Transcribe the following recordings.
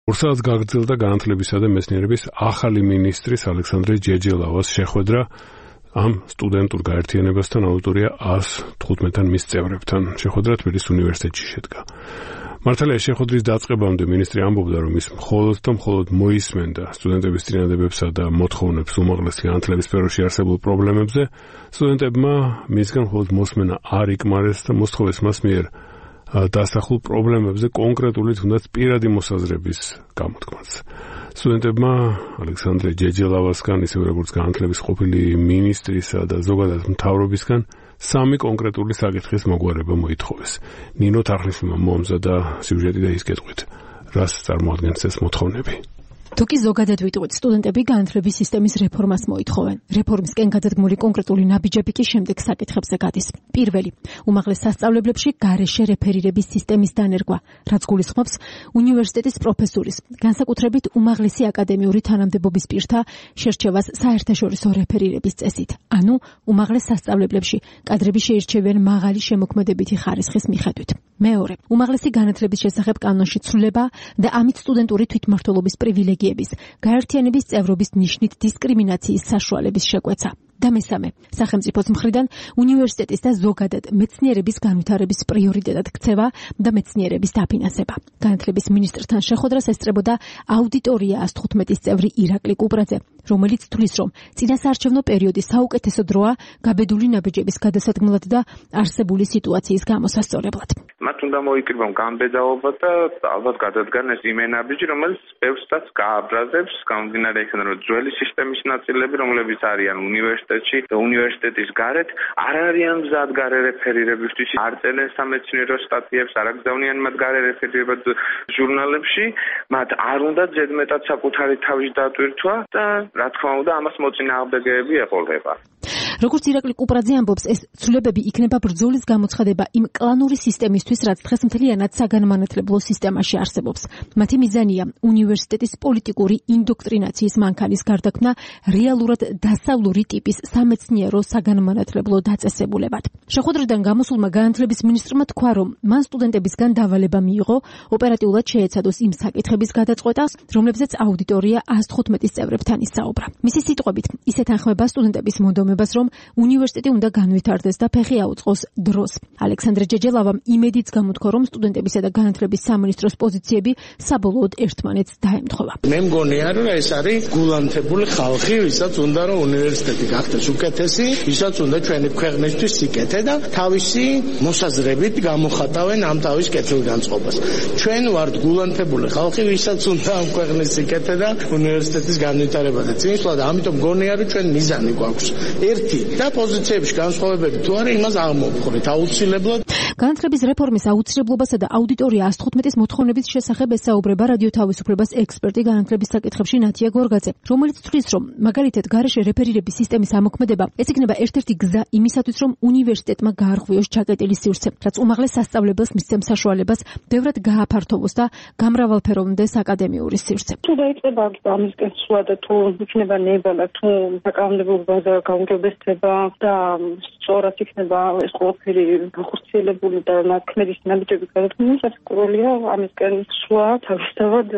ორსაათს გაგრძელდა განათლებისა და მეცნიერების ახალი მინისტრის ალექსანდრე ჯეჯელავას შეხვედრა ამ სტუდენტურ გაერთიანებასთან აუდიტორია 115-თან მის წევრებთან. შეხვედრა თბილისის უნივერსიტეტში შედგა. მართალია შეხვედრის დაწყებამდე მინისტრი ამბობდა, რომ ის მხოლოდ მოისმენდა სტუდენტების წინადადებებსა და მოთხოვნებს უმაღლესი განათლების სფეროში არსებულ პრობლემებზე. სტუდენტებმა მისგან მხოლოდ მოსმენა არ იკმარეს და მოსთხოვეს მას მიერ დასახულ პრობლემებზე კონკრეტული თუნდაც პირადი მოსაზრების გამოთქმაც. სტუდენტებმა ალექსანდრე ჯეჯელავასგან, ისევე როგორც განათლების ყოფილი მინისტრისა და ზოგადად მთავრობისგან 3 კონკრეტული საკითხის მოგვარება მოითხოვეს. ნინო თარხნიშვილმა მომზადა სიუჟეტი და ის გეტყვით, რას წარმოადგენს ეს მოთხოვნები. თუ კი ზოგადად ვიტყვით, სტუდენტები განათლების სისტემის რეფორმას მოითხოვენ. რეფორმისკენ გადადგმული კონკრეტული ნაბიჯები კი შემდეგ საკითხებზე გადის. პირველი, უმაღლეს სასწავლებლებში გარეშე რეფერირების სისტემის დანერგვა, რაც გულისხმობს უნივერსიტეტის პროფესურის, განსაკუთრებით უმაღლესი აკადემიური თანამდებობის პირთა შერჩევას საერთაშორისო რეფერირების წესით. ანუ უმაღლეს სასწავლებლებში კადრები შეირჩევიან მაღალი შემოქმედებითი ხარისხის მიხედვით. მეორე, უმაღლესი განათლების შესახებ კანონში ცვლილება და ამით სტუდენტური თვითმმართველობის პრივილეგიების, გაერთიანების წევრობის ნიშნით დისკრიმინაციის საშუალების შეკვეცა. და მესამე, სახელმწიფოს მხრიდან უნივერსიტეტის და ზოგადად მეცნიერების განვითარების პრიორიტეტად ქცევა და მეცნიერების დაფინანსება. განათლების მინისტრთან შეხვედრას ესწრებოდა აუდიტორია 115-ის წევრი ირაკლი კუპრაძე, რომელიც თვლის, რომ წინასაარჩევნო პერიოდის საუკეთესო დროა გაბედული ნაბიჯების გადასადგმლად და არსებული სიტუაციის გამოსასწორებლად. მათ უნდა მოიკრიბონ გამბედაობა და ალბათ გადადგან ეს იმენაბიჯი, რომელიც ბევრსაც გააბრაზებს, გამომდინარე იქიდან, რომ ძველი სისტემის ნაწილები, რომლებიც არიან უნივერსიტეტში და უნივერსიტეტის გარეთ, არ არიან მზად გარე რეფერირებისთვის, არ წერენ სამეცნიერო სტატიებს, არ აგზავნიან მათ გარე რეფერირებად ჟურნალებში, მათ არ უნდა ზედმეტად საკუთარი თავის დატვირთვა და რა თქმა უნდა, ამას მოწინააღმდეგეები ეყოლება. როგორც ირაკლი კუპრაძე ამბობს, ეს ცვლილებები იქნება ბრძოლის გამოცხადება იმ კლანური სისტემისთვის, რაც დღეს მთლიანად საგანმანათლებლო სისტემაში არსებობს. მათი მიზანია უნივერსიტეტის პოლიტიკური ინდოქტრინაციის მანქანის გარდაქმნა რეალურად დასავლური ტიპის სამეცნიერო საგანმანათლებლო დაწესებულებად. შეხვედრიდან გამოსულმა განათლების მინისტრმა თქვა, რომ მან სტუდენტებისგან დავალება მიიღო ოპერატიულად შეეცადოს იმ საკითხების გადაწყვეტას, რომლებზეც აუდიტორია 115-ის წევრებთან ისაუბრა. მისი სიტყვებით, ის ეთანხმება სტუდენტების მონდომებას, რომ უნივერსიტეტი უნდა განვითარდეს და ფეხი აუწყოს დროს. ალექსანდრე ჯეჯელავამ იმედიც გამოთქვა, რომ სტუდენტებისა და განათლების სამინისტროს პოზიციები საბოლოოდ ერთმანეთს დაემთხვევა. მე მგონია, რომ ეს არის გულანთებული ხალხი, ვისაც უნდა რომ უნივერსიტეტი გახდეს უკეთესი, ვისაც უნდა ჩვენი ქვეყნისთვის სიკეთე და თავისი მოსაზრებით გამოხატავენ ამ თავის კეთილგანწყობას. ჩვენ ვართ გულანთებული ხალხი, ვისაც უნდა ამ ქვეყნის სიკეთე და უნივერსიტეტის განვითარება და წინსვლა და ამიტომ მგონია, რომ ჩვენ მიზანი გვაქვს ერთი და პოზიციებში განსხვავებები თუ არა, იმას აღმოვხვრით აუცილებლად. განათლების რეფორმის აუცილებლობასა და აუდიტორია 115-ის მოთხოვნების შესახებ ესაუბრება რადიო თავისუფლებას ექსპერტი განათლების საკითხებში ნათია გორგაძე, რომელიც თვლის, რომ მაგალითად გარეშე რეფერირების სისტემის ამოქმედება ეს იქნება ერთ-ერთი გზა იმისათვის, რომ უნივერსიტეტმა გაარღვიოს ჩაკეტილი სივრცე, რაც უმაღლეს სასწავლებელს მისცემს საშუალებას ბევრად გააფართოვოს და გამრავალფეროვნდეს აკადემიური სივრცე. თუ დაიწყება ამისკენ სვლა და თუ იქნება ნება თუ საკანონმდებლობა და გაუმჯობესება და სწორად იქნება ეს ყველაფერი განხორციელებული და ნაქმედის ნაბიჯების გადადგმა, სასწაულია ამისკენ სვლა თავისთავად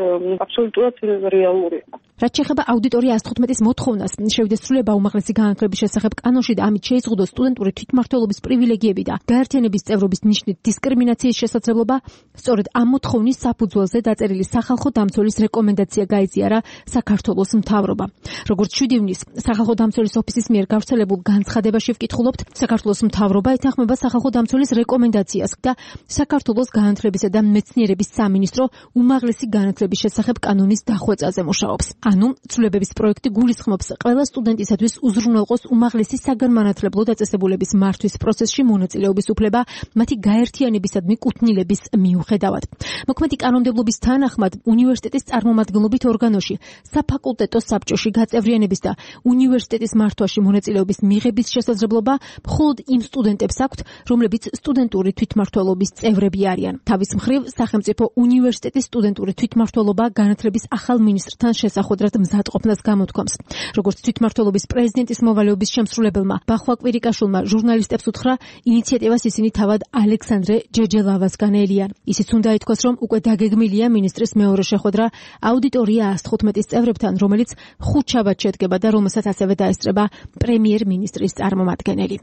აბსოლუტურად რეალურია. რაც შეეხება აუდიტორია 115-ის მოთხოვნას, შევიდეს ცვლილება უმაღლესი განათლების შესახებ კანონში და ამით შეიზღუდოს სტუდენტური თვითმმართველობის პრივილეგიები და გაერთიანების წევრობის ნიშნით დისკრიმინაციის შესაძლებლობა, სწორედ ამ მოთხოვნის საფუძველზე დაწერილი სახალხო დამცველის რეკომენდაცია გაიზიარა საქართველოს მთავრობამ. როგორც 7 ივნისს სახალხო დამცველის ოფისის მიერ გავრცელებულ განცხადებაში ვკითხულობთ, საქართველოს მთავრობა ეთანხმება სახალხო დამცველის რეკომენდაციას და საქართველოს განათლებისა და მეცნიერების სამინისტრო უმაღლესი განათლების შესახებ კანონის დახვეწაზე მუშაობს. ანუ ცვლილებების პროექტი გულისხმობს ყველა სტუდენტისათვის უზრუნველყოს უმაღლესი საგანმანათლებლო დაწესებულების მართვის პროცესში მონაწილეობის უფლება მათი გაერთიანებისადმი კუთვნილების მიუხედავად. მოქმედი კანონმდებლობის თანახმად უნივერსიტეტის წარმომადგენლობით ორგანოში, საფაკულტეტო საბჭოში გაწევრიანების და უნივერსიტეტის მართვაში მონაწილეობის მიღების შესაძლებლობა მხოლოდ იმ სტუდენტებს აქვთ, რომლებიც სტუდენტური თვითმმართველობის წევრები არიან. თავის მხრივ, სახელმწიფო უნივერსიტეტის სტუდენტური თვითმმართველობა განათლების ახალ მინისტრთან შესახებ შეხვედრად მზადყოფნას გამოთქვამს. როგორც თვითმმართველობის პრეზიდენტის მოვალეობის შემსრულებელმა ბახვა კვირიკაშვილმა ჟურნალისტებს უთხრა, ინიციატივას ისინი თავად ალექსანდრე ჯეჯელავასგან ელიან. ისიც უნდა ითქვას, რომ უკვე დაგეგმილია მინისტრის მეორე შეხვედრა აუდიტორია 115-ის წევრებთან, რომელიც ხუთშაბათს შედგება და რომელსაც ასევე დაესწრება პრემიერ-მინისტრის წარმომადგენელი.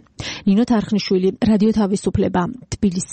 ნინო თარხნიშვილი, რადიო თავისუფლება, თბილისი.